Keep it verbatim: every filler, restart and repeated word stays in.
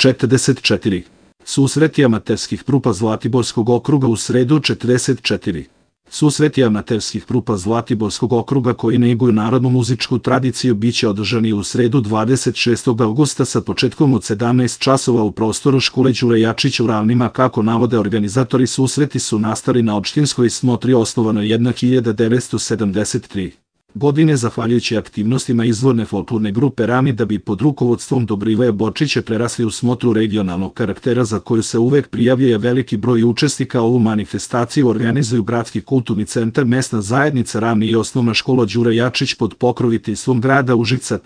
četrdeset četiri. Susreti amaterskih trupa Zlatiborskog okruga u sredu četrdeset četiri. Susreti amaterskih trupa Zlatiborskog okruga koji neguju narodnu muzičku tradiciju biće održani u sredu dvadeset šestog avgusta sa početkom od sedamnaest časova u prostoru škole Đure Jakšića u Ravnima. Kako navode organizatori, susreti su nastali na opštinskoj smotri osnovanoj hiljadu devetsto sedamdeset treće. godine zahvaljujući aktivnostima izvorne folklorne grupe Rami da bi pod rukovodstvom Dobrivoja Bočića prerasli u smotru regionalnog karaktera za koju se uvek prijavljuje veliki broj učesnika. Ovu manifestaciju organizuju Gradski kulturni centar, mesna zajednica Ravni i osnovna škola Đura Jakšić pod pokroviteljstvom grada Užica.